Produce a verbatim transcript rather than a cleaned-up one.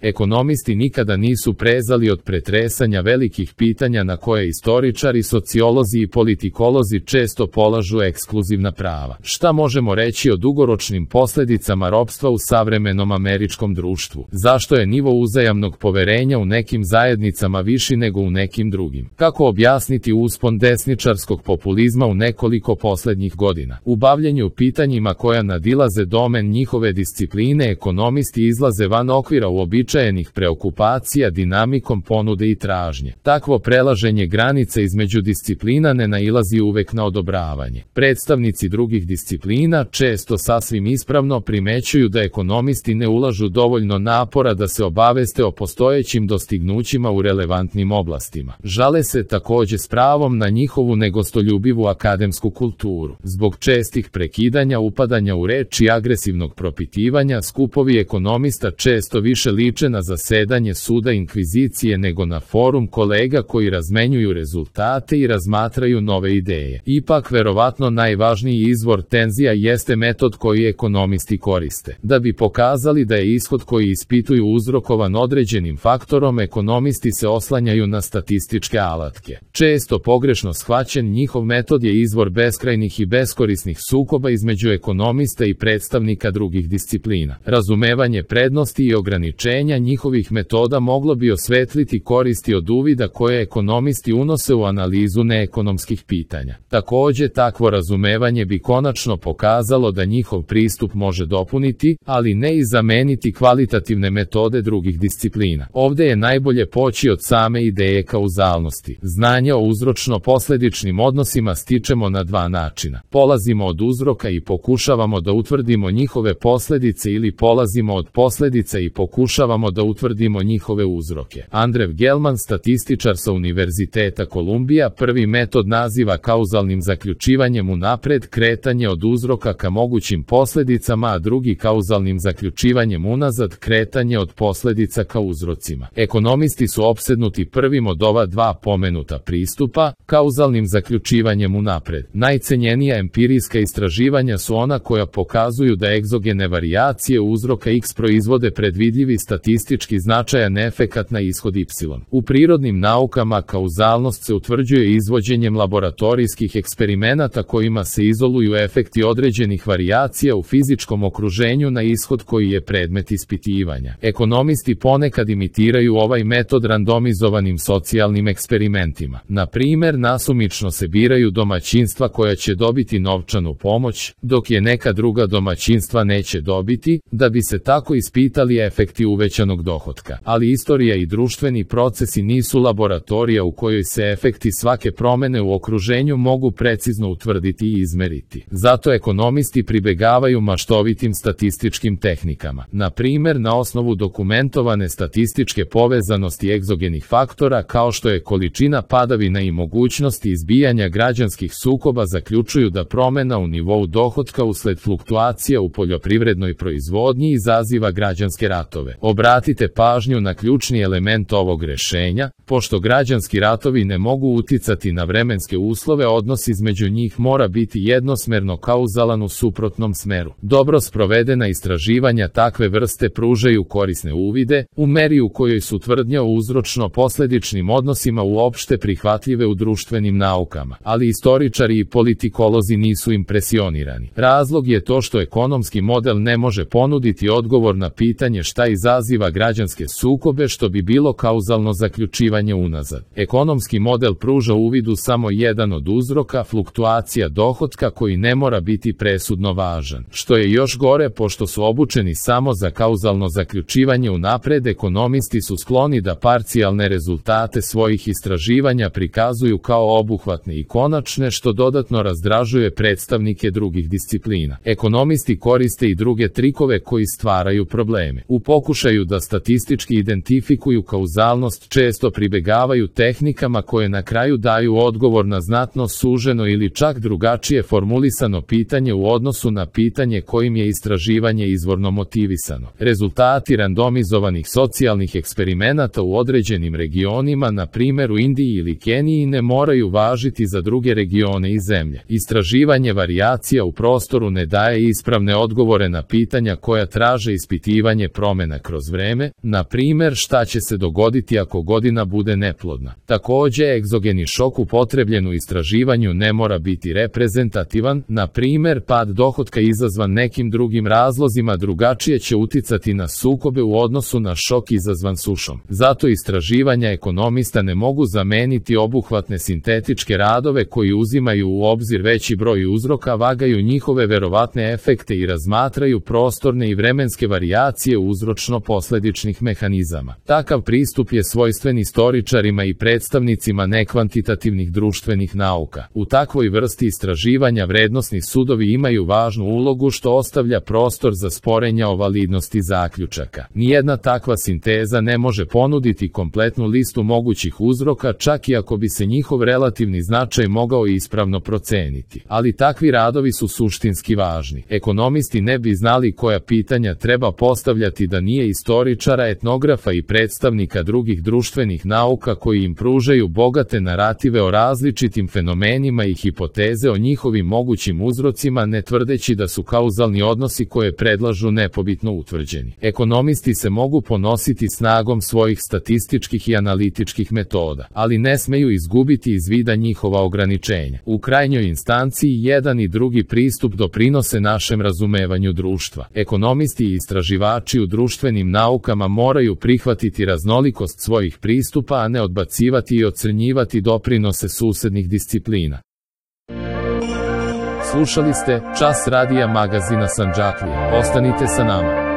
Ekonomisti nikada nisu prezali od pretresanja velikih pitanja na koje istoričari, sociolozi i politikolozi često polažu ekskluzivna prava. Šta možemo reći o dugoročnim posljedicama ropstva u savremenom američkom društvu? Zašto je nivo uzajamnog poverenja u nekim zajednicama viši nego u nekim drugim? Kako objasniti uspon desničarskog populizma u nekoliko posljednjih godina? U bavljenju pitanjima koja nadilaze domen njihove discipline, ekonomisti izlaze van okvira uobičajenih preokupacija dinamikom ponude i tražnje. Takvo prelaženje granice između disciplina ne nailazi uvek na odobravanje. Predstavnici drugih disciplina često sasvim ispravno primećuju da ekonomisti ne ulažu dovoljno napora da se obaveste o postojećim dostignućima u relevantnim oblastima. Žale se također s pravom na njihovu negostoljubivu akademsku kulturu. Zbog čestih prekidanja, upadanja u reč i agresivnog propitivanja, skupovi ekonomista često više liče na zasedanje suda inkvizicije nego na forum kolega koji razmenjuju rezultate i razmatraju nove ideje. Ipak, verovatno najvažniji izvor tenzija jeste metod koji ekonomisti koriste. Da bi pokazali da je ishod koji ispituju uzrokovan određenim faktorom, ekonomisti se oslanjaju na statističke alatke. Često pogrešno shvaćen, njihov metod je izvor beskrajnih i beskorisnih sukoba između ekonomista i predstavnika drugih disciplina. Razumevanje prednosti i ograničenja njihovih metoda moglo bi osvetliti koristi od uvida koje ekonomisti unose u analizu neekonomskih pitanja. Također, takvo razumevanje bi konačno pokazalo da njihov pristup može dopuniti, ali ne i zameniti kvalitativne metode drugih disciplina. Ovdje je najbolje poći od same ideje kauzalnosti. Znanje o uzročno-posljedičnim odnosima stičemo na dva načina. Polazimo od uzroka i pokušavamo da utvrdimo njihove posljedice, ili polazimo od posljedica i pokušavamo da utvrdimo njihove uzroke. Andrew Gelman, statističar sa Univerziteta Kolumbija, prvi metod naziva kauzalnim zaključivanjem unapred kretanje od uzroka ka mogućim posljedicama, a drugi kauzalnim zaključivanjem unazad kretanje od posljedica ka uzrocima. Ekonomisti su opsednuti prvim od ova dva pomenuta pristupa, kauzalnim zaključivanjem unapred. Najcenjenija empirijska istraživanja su ona koja pokazuju da egzogene varijacije uzroka X proizvode predvidljivi statistički značajan efekat na ishod Y. U prirodnim naukama kauzalnost se utvrđuje izvođenjem laboratorijskih eksperimenata kojima se izoluju efekti određenih varijacija u fizičkom okruženju na ishod koji je predmet ispitivanja. Ekonomisti ponekad imitiraju ovaj metod randomizovanim socijalnim eksperimentima. Na primjer, nasumično se biraju domaćinstva koja će dobiti novčanu pomoć, dok je neka druga domaćinstva neće dobiti, da bi se tako ispitali efekti uvećanog dohotka. Ali istorija i društveni procesi nisu laboratorija u kojoj se efekti svake promjene u okruženju mogu precizno utvrditi i izmeriti. Zato ekonomisti pribegavaju maštovitim statističkim tehnikama. Na primjer, na osnovu dokumentovane statističke povezanosti egzogenih faktora kao što je količina padavina i mogućnosti izbijanja građanskih sukoba zaključuju da promjena u nivou dohotka usled fluktuacija u poljoprivrednoj proizvodnji izaziva građanske ratove. Obratite pažnju na ključni element ovog rješenja. Pošto građanski ratovi ne mogu uticati na vremenske uslove, odnos između njih mora biti jednosmerno kauzalan u suprotnom smeru. Dobro sprovedena istraživanja takve vrste pružaju korisne uvide, u meri u kojoj su tvrdnje o uzročno-posljedičnim odnosima uopšte prihvatljive u društvenim naukama, ali istoričari i politikolozi nisu impresionirani. Razlog je to što ekonomski model ne može ponuditi odgovor na pitanje šta izaziva građanske sukobe, što bi bilo kauzalno zaključivanje unazad. Ekonomski model pruža uvidu samo jedan od uzroka, fluktuacija dohotka, koji ne mora biti presudno važan. Što je još gore, pošto su obučeni samo za kauzalno zaključivanje unapred, ekonomisti su skloni da parcijalne rezultate svojih istraživanja prikazuju kao obuhvatne i konačne, što dodatno razdražuje predstavnike drugih disciplina. Ekonomisti koriste i druge trikove koji stvaraju probleme. U pokušaju da statistički identifikuju kauzalnost često privučuju pribegavaju tehnikama koje na kraju daju odgovor na znatno suženo ili čak drugačije formulisano pitanje u odnosu na pitanje kojim je istraživanje izvorno motivisano. Rezultati randomizovanih socijalnih eksperimenata u određenim regionima, na primjer u Indiji ili Keniji, ne moraju važiti za druge regione i zemlje. Istraživanje varijacija u prostoru ne daje ispravne odgovore na pitanja koja traže ispitivanje promjena kroz vreme, na primjer šta će se dogoditi ako godina bude neplodna. Također, egzogeni šok upotrebljen u istraživanju ne mora biti reprezentativan, na primjer pad dohotka izazvan nekim drugim razlozima drugačije će uticati na sukobe u odnosu na šok izazvan sušom. Zato istraživanja ekonomista ne mogu zameniti obuhvatne sintetičke radove koji uzimaju u obzir veći broj uzroka, vagaju njihove verovatne efekte i razmatraju prostorne i vremenske varijacije uzročno-posledičnih mehanizama. Takav pristup je svojstven istoričarima i predstavnicima nekvantitativnih društvenih nauka. U takvoj vrsti istraživanja vrednosni sudovi imaju važnu ulogu što ostavlja prostor za sporenja o validnosti zaključaka. Nijedna takva sinteza ne može ponuditi kompletnu listu mogućih uzroka, čak i ako bi se njihov relativni značaj mogao ispravno proceniti. Ali takvi radovi su suštinski važni. Ekonomisti ne bi znali koja pitanja treba postavljati da nije istoričara, etnografa i predstavnika drugih društvenih nauka koji im pružaju bogate narative o različitim fenomenima i hipoteze o njihovim mogućim uzrocima, ne tvrdeći da su kauzalni odnosi koje predlažu nepobitno utvrđeni. Ekonomisti se mogu ponositi snagom svojih statističkih i analitičkih metoda, ali ne smeju izgubiti iz vida njihova ograničenja. U krajnjoj instanciji jedan i drugi pristup doprinose našem razumevanju društva. Ekonomisti i istraživači u društvenim naukama moraju prihvatiti raznolikost svojih pristupa, a ne odbacivati i ocrnjivati doprinose susednih disciplina. Slušali ste Čas radija magazina Sandžaklija. Ostanite sa nama.